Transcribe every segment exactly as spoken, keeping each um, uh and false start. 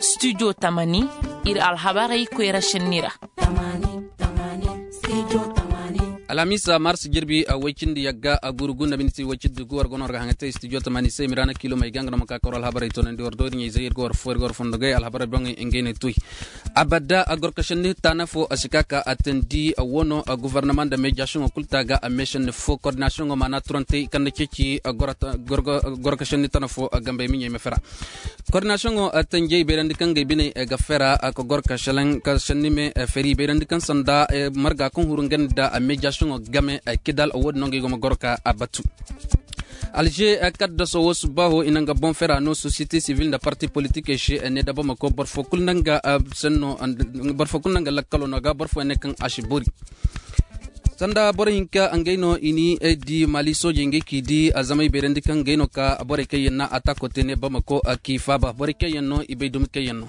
Studio tamani, ir alhabarey koyra šenni ra. Alhamiisa mars jirbi woy cindi yagga guru gu nda miniti woy cindi gu war go no war ga haŋa te studio tamani se mirana kilo may ga nga no ma ka kawar alhabarey toonandi war doori ɲayzey ir ga war fo ir ga war fondogey alhabarey boŋey ngey ne tuy. Abada gorka šenni taana fo si ka ka a teendi wano gofornama nda meejasiyoŋo kul ta ga a meešenni fo kordinasiyoŋo maana turantey kaŋ na ceeci gorka šenni tana fo gambey miɲey ma fera. Kordinasiyoŋo tanjey bayrandi kaŋ ga ay biney ga fera ka gor ka šalaŋ ka sanni me feri bayrandi kaŋ sanda marga kaŋ huru nga nda meejasiyoŋo game kidal wo-din no nga ay go ma gor ka a batu. Alže kaddaso wo subbaaho i na nga boŋ fera no sosiyete sivil nda parti politikey se ne da bamako boro fo kul na nga lakkalo no ga boro fo ne kaŋ a si bori. Sanda boro hinka ngey no i ni di mali soojey ngey k'i di zamey bayrandi kaŋ ngey no ka borey kaŋ yaŋ na atako te ne bamako k'i faaba borey kaŋ yaŋ no i bay dumi kaŋ yaŋ no.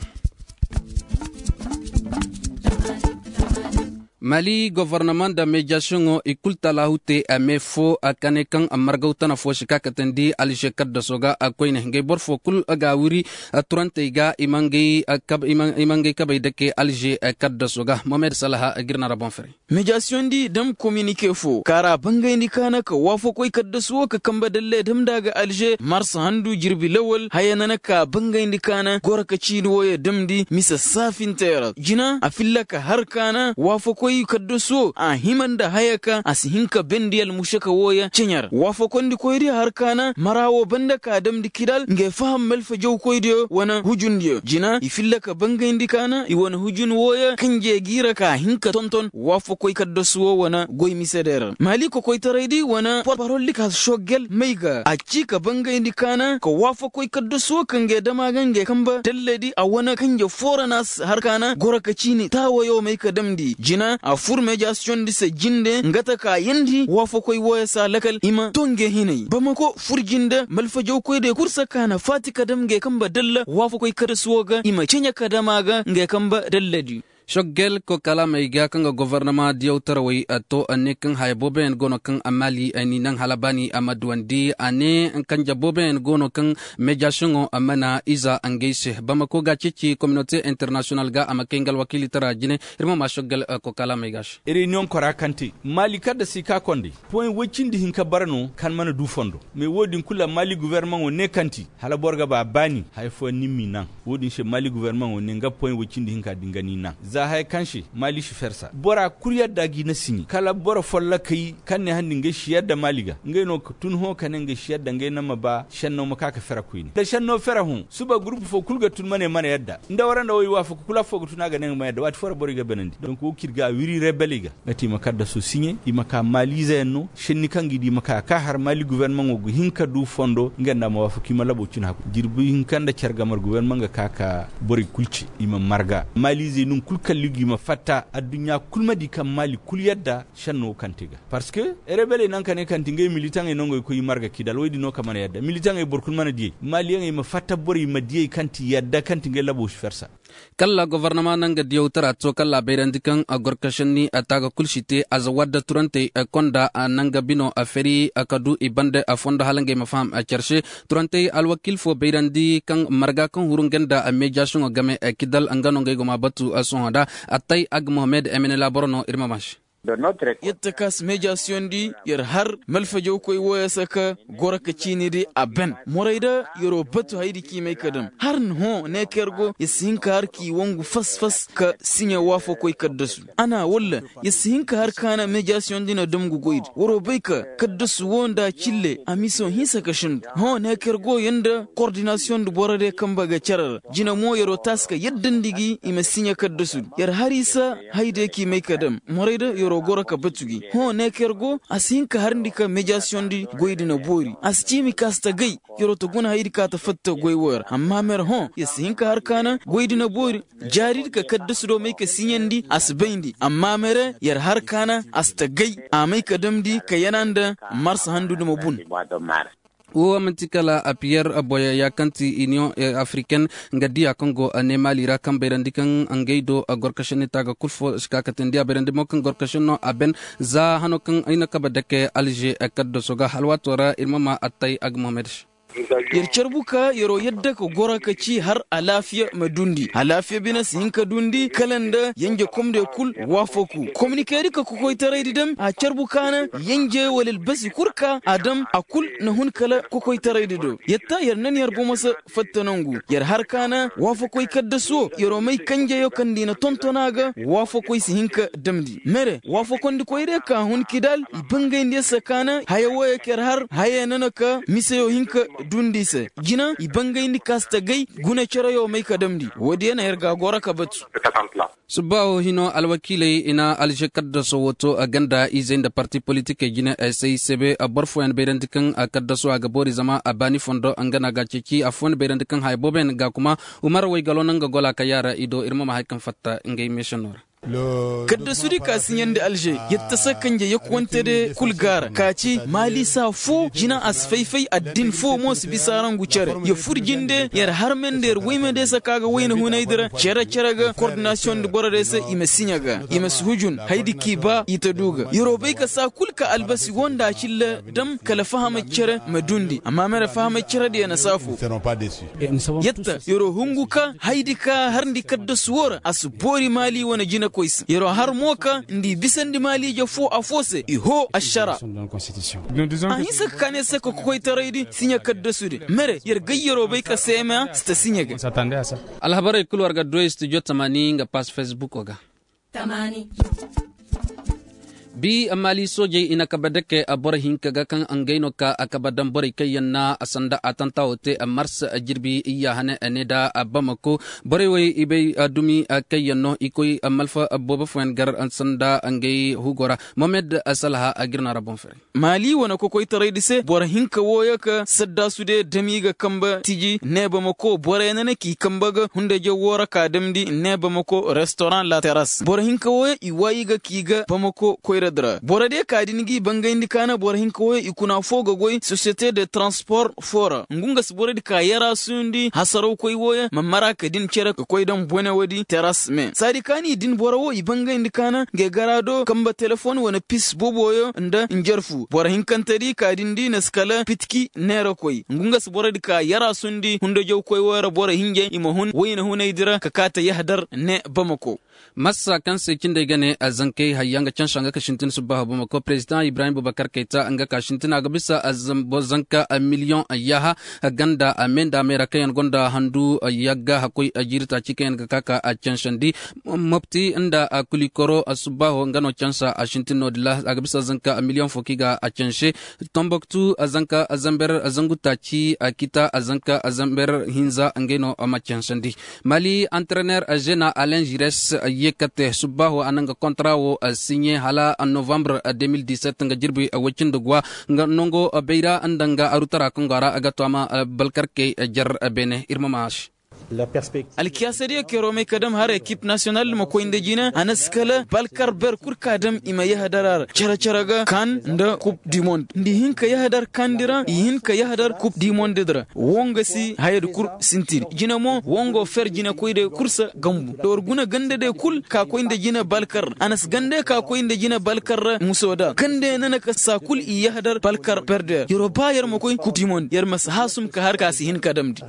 Mali gofornama nda meejasiyoŋo i kul talaahu te a me fo ka ne kaŋ margaw tana fo si ka katandi alže kaddaso ga koyne ngey boro fo kul ga wiri turantey ga i ma ngey kabey dake alže kaddaso ga mohamed salaha ga ir na ra boŋ fere. Meejasiyoŋ di dam kominike fo kaara bangayndi kaana ka waafakoy kaddasu wo ka kambe dalle damndi a ga alže marsa handu jirbi lawal haya nana ka bangayndi kaana goro ka ciini wooyo damndi mise saafintey ra jina a filla ka har kaana waafakoy kaddasu wo a hima nda haya ka a si hin ka bendi almušaka wooyo ceɲe ra waafakoyndi koydi har kaana mara wo banda ka damndi kidal ngey faham malfajawkoydiyo wane hujundiyo jina i filla ka bangayndi kaana i wane hujun wooyo kanjey g'i ra ka hin ka tonton waafakoy kaddasu wo wane goy misede ra mali kokoytaraydi wane porparoldi ka soggel may ga a ci ka bangayndi kaana ka waafakoy kaddasu wo kaŋ ga ay dam a ga ngey kamba dalladi a wane kanje foo ra no a si har kaana goro ka ciini taawayo may ka damndi jina a fur meejasiyoŋdi se jinde nga ta ka yeendi waafakoy wooyo se a lakal i ma to ngey hinay bamako fur jinde malfajawkoydiyo kul se ka na faati ka dam ngey kamba dalla waafakoy kaddasu wo ga i ma ceɲe ka dam a ga ngey kamba dalladi. Soggel ko kalaamey ga kaŋ ga gofornama diyawtarawey to ne kaŋ haya booboyaŋ go no kaŋ a maali ni naŋ hala baani a ma duwandi a ne kanje booboyaŋ go no kaŋ meejasiyoŋo a mana iza ngey se bamako ga ceeci kominote internasiyonal ga a ma kay nga alwakiilitara jine. Ir ma maa soggel ko kalaamey ga se. Reyuniyoŋ kora kaŋ te maali kaŋ nda si ka konday poy woy cindi hinka bara no kaŋ mana du fondo. Mais wo-din kulu a maali gofornamaŋo ne kaŋ ti hala boro ga ba baani haya fooyaŋ ni m'i naŋ. Wo-din se maali gofornamaŋo ne nga poy woy cindi hinka din ga ni naŋ za haya kaŋ se maali si fersa bora kul yadda g'i na siɲe kala boro follokey kaŋ ne handi ngey si yadda maali ga ngey no ka tun hõ ka ne ngey si yadda ngey naŋ ma ba šenno ma ka ka fera koyne nda šenno fera hõ suba gurupu fo kul ga tun ma ne mana yadda nda wara nda wo i waafaku kul affoo ga tun a ga ne nga mana yadda waati foo ra borey ga banandi donk wo kaŋ ir ga a wiri rebeley ga nga te i ma kaddaso siɲe i ma ka maaliizeyaŋ no šenni kaŋ ga i di i ma ka ka har maali gofornamaŋo ga hin ka du fondo nga nda a ma waafaku i ma labo cina hakku jirbi hinka nda care gamar gofornamaŋ ga ka ka borey kul ce i ma marga maaliizey no kul kalli ga i ma fatta adduɲɲa kul ma di kaŋ maali kul yadda šenno kaŋ te ga. Parce que rebeley naŋ ka ne kaŋ ti ngey militaŋey no ngey koy i marga kidal woy din no ka mana yadda militaŋey boro kul mana diyey maaliyaŋey ma fatta borey ma diyey kaŋ ti yadda kaŋ ti ngey labo si fersa. Kalla gofornama na nga diyawtara to kalla a bayrandi kaŋ a gorkašenni a taaga kul si te a za wadda turantey konda a na nga bino a feri a ka du i bande a fondo hala ngey ma faham a care se. Turantey alwakiil fo bayrandi kaŋ marga kaŋ huru nga nda a meejasiyoŋo game a kidal nga no ngey go ma batu a sohõ nda a tay a ga mohamed emene laaboro no ir ma maa se. Yadda ka si meejasiyoŋ di yer har malfajawkoy wooyo se ka goro ka ciini di a ben morey da yer'o batu haydi k'i may ka dam har hõ ne ka yer go yer si hin ka har k'i wangu fas fas ka siɲe waafakoy kaddasu a na walla yer si hin ka har ka na meejasiyoŋ di na dam ga goy di war'o bay ka kaddasu woo nda cille a miso hinsa ka sindu hõ ne ka yer go yer nda kordinasiyoŋ di boro diyo kamba ga cere ra jina mo yer'o taasi ka yaddandi gi i ma siɲe kaddasu di yer har i se haydiyo k'i may ka dam morey da yer'o goro ka batu gi hõ ne ka yer go a si hin ka harndi ka meejasiyoŋ di goy di na boori a si ciimi ka a si ta gay yer'o ta guna haydi ka ta fatta goy woo ra amma mere hõ yer si hin ka har ka na goy di na boori jaari di ka kaddasu do may ka siɲandi a si bayndi amma mere yer har ka na a si ta gay a may ka damndi ka yana nda marsa handu di ma bun. Wo manti kala a piyer boyaya kaŋ ti iniyoŋ afriken nga diya kaŋ go ne mali ra kaŋ bayrandi kaŋ ngey do a gorkašenni ta ga kul fo si ka kate ni diya bayrandi mo kaŋ gorkašenno a ben za hano kaŋ ay na kaba dake alže kaddaso ga halwaato ra ir ma ma attay a ga mohamed se. Yer carbu ka yeroo yadda ka goro ka ci har alaafiya ma dundi alaafiya bine si hin ka dundi kala nda yenje komde kul waafaku kominikeedi ka kokoytaraydi dam a carbu ka na yenje wala albasi kul ka a dam a kul na hun kala kokoytaraydi do. Yetta yer nan yer bomo se fatta nangu yer har ka na waafakoy kaddasu wo yeroo may kanjeyo kaŋ nda i na tonton a ga waafakoy si hin ka damndi mere waafakondikoy day ka hun kidal i bangayndi yer se ka na haya wooyo ka yer har haya nana ka miseyo hin ka dundi i se jina i bangayndi ka si ta gay guna cereyo may ka damndi woodiyo na yer ga a goro ka batu. Subbaaho hino alwakiiley i na alžekaddaso wo to a ganda izey nda parti politikey jine ay say sebe boro fooyaŋ bayrandi kaŋ a kaddaso a ga boori zama a baani fondo nga no a ga a ceeci affooyaŋ bayrandi kaŋ haya booboyaŋ ga kuma umar waygalo no nga gola ka yaara i do ir ma ma hari kaŋ fatta ngey meesenoo ra. Kaddasudi ka siɲandi alže yer ta se kanje yakuwante de kul gaara ka ci maalisa foo jina a si fay-fay addin foo mo si bisa rangu cere yer fur jinde yer harme nda yer wayme de se ka ga wayna hunaydi ra cere-cere ga kordinasiyoŋ nda boro de se i ma siɲa ga i ma si hujun haydi k'i ba i ta du ga yeroo bay ka saa kul ka albasi woo nda a cilla dam kala fahamay cere ma dundi amma mere fahamay cerediyo na saafo. Yetta yeroo hungu ka haydi ka harndi kaddasu woo ra a si boori maali wane jinekoy se yeroo har mo ka nda i bisandi maaliije foo afoo se i hoo ašara. A hinsa ka kaa ne se ka kokoytaraydi siɲe kaddasudi mere yer gayyaroo bay ka seema si ta siɲe ga. Alhabarey kul war ga duwey studio tamaani nga paas fesbuko ga. Bi maali soojey i na kabe dake boro hinka ga kaŋ ngey no ka a kabe daŋ borey kaŋ yaŋ na sanda atanta wo te mars jirbi iyya hane ne nda bamako borey wey i bay dumi kaŋ yaŋ no i koy malfa boobo fooyaŋ gar sanda ngey hugo ra. Mohamed salha a ga ir no a ra boŋ fere. Maali wane kokoytaraydi se boro hinka wooyo ka saddaasu de dam i ga kambe tiji ne bamako boroyaŋ na ne k'i kambe ga hundajaw woo ra ka damndi ne bamako restoraŋ la teras boro hinka wooyo i waayi ga k'i ga bamako koyradi ra boro de ka din g'i bangayndi ka na boro hinka wooyo i kuna foo ga goy sosiyete de transpor foo ra ngu nga si borodi ka yaraasundi hasarawkoy wooyo ma mara ka din cere ka koy daŋ bone woodi teras me saadi ka ni din boro woo i bangayndi ka na ngey garaa do kambe telefon wane pis boobooyo nda njarfu boro hinkantedi ka din di na si kala pitki neerakoy ngu nga si borodi ka yaraasundi hundajawkoy woo ra boro hinjey i ma hun wayna hunaydi ra ka kaa ta yahadar ne bamako. Massa kaŋ se cindey ga ne zankey hayya nga cansa nga ka sintin subbaaho bamako prezidaŋ ibrahim bubakar kayta nga ka sintin a ga bisa zanka miliyoŋ yaaha ganda a me nda a me ra kaŋ yaŋ gonda handu yagga hakkoy jiiri taaci kaŋ yaŋ ga ka ka a cansandi mopti nda kulikoro subbaaho nga no cansa a sintin no- din ra a ga bisa zanka miliyoŋ fo kaŋ i ga a canse. Tomboktu zanka zamber zangu taaci a kita zanka zamber hinza ngey no ma cansandi. Mali antrener zena alen jires ye kate subbaaho a na nga kontra wo siɲe hala novambre de mil diset nga jirbi woy cindi guwa nga nango bayra nda nga arutara kaŋ go a ra a ga to a ma balkarkey jer beene ir ma maaš. Alkiyaasadiyo keroo may ka dam har ekip nasiyonal ma koy nda jina a na si kala balkar ber kul ka dam i ma yahadar a ra cere-cere ga kan nda kup di mond nda i hin ka yahadar kandi ra i hin ka yahadar kup di mond di ra. Woo nga si hayadi kul sintin jina mo woo nga wo fer jinekoy day kul se gambu da war guna ganda day kul ka koy nda jina balkar ra a na si ganda ka koy nda jina balkar ra muso da ganda yaŋ na na ka saa kul i yahadar balkar perder yeroo ba yer ma koy kup di mond yer ma si haasum ka har ka si hin ka damndi.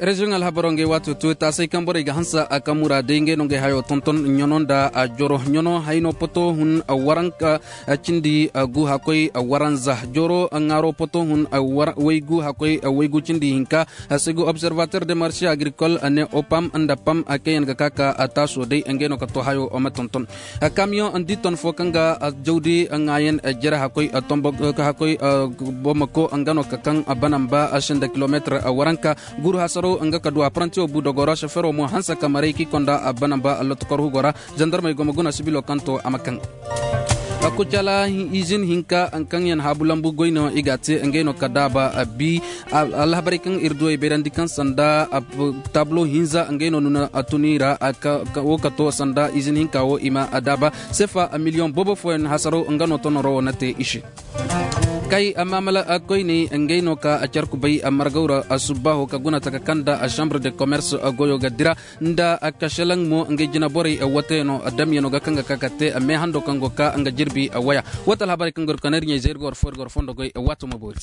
Reziyoŋ alhabaro ngey waato to taasay kaŋ borey ga hanse a kaŋ muraaday ngey no ngey hayo tonton ɲano nda joro ɲano hayno poto hun waranka cindi gu hakkoy waranza joro ŋaaro poto hun waygu hakkoy waygu cindi hinka. Segu observateur de marché agricole ne opam nda pam kaŋ yaŋ ga ka ka taaso day ngey no ka to hayo ma tonton. Kamiyoŋ di ton fo kaŋ ga jawdi ŋaayan jere hakkoy tombo ka hakkoy bomako nga no ka kaŋ banamba senda kilometre waranka guru hasaro nga ka du aprantiyo bu dogoro sofero mo hanse ka maray k'i konda banamba lotokor hugo ra. Zandarmey go ma guna sibilo kaŋ to a ma kaŋ. Kucala izin hinka kaŋ yaŋ haabu lambu goy no i ga a te ngey no ka daaba a bi. Alhabarey kaŋ ir du ay bayrandi kaŋ sanda taablo hinza ngey no nuna a tun i ra. Wo ka to sanda izin hinka wo i ma a daaba sefa miliyoŋ boobo fooyaŋ hasaro nga no tonoro wo na te i se. Kay maamala koyney ngey no ka a care kubay margaw ra. Subbaaho ka guna taka kaŋ nda chambre de commerce goyo ga dira nda kashelaŋ mo ngey jinaborey wateyano damyano ga kaŋ ga ka ka te meehando kaŋ go ka nga jirbi waya. Wata alhabarey kaŋ gor kanar ɲey zey ir ga war fo ir ga war fondo goy wato ma boori.